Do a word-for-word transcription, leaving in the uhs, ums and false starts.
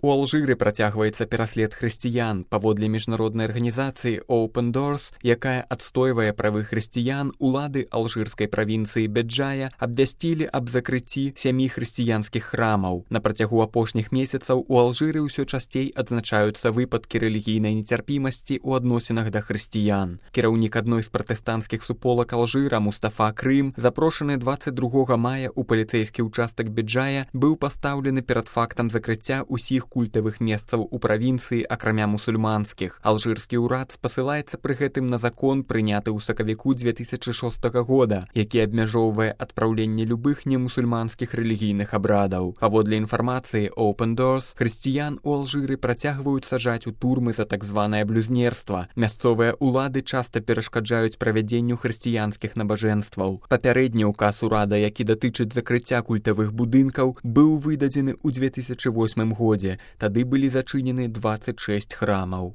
У Алжыры працягваецца пераслед хрысціян. Паводле міжнароднай арганізацыі Open Doors, якая адстойвае правы хрысціян, улады алжырскай правінцыі Беджая абвясцілі аб закрыцці сямі хрысціянскіх храмаў. На працягу апошніх месяцаў у Алжыры ўсё часцей адзначаюцца выпадкі рэлігійнай нецярпімасці ў адносінах да хрысціян. Кіраўнік адной з пратэстанцкіх суполак Алжыра Мустафа Крым, запрошаны дваццаць другога мая ў паліцэйскі ўчастак Беджая, быў пастаўлены перад фактам закрыцця ўсіх культавых месцаў у правінцыі, акрамя мусульманскіх. Алжырскі ўрад спасылаецца пры гэтым на закон, прыняты ў сакавіку дзве тысячы шостага года, які абмяжоўвае адпраўленне любых немусульманскіх рэлігійных абрадаў. Паводле інфармацыі Open Doors, хрысціян у Алжыры працягваюць сажаць у турмы за так званае блюзнерства. Мясцовыя улады часта перашкаджаюць правядзенню хрысціянскіх набажэнстваў. Папярэдні ўказ урада, які датычыць закрыцця культавых будынкаў, быў выдадзены ў дзве тысячы восьмым годзе. Тады былі зачынены дваццаць шэсць храмаў.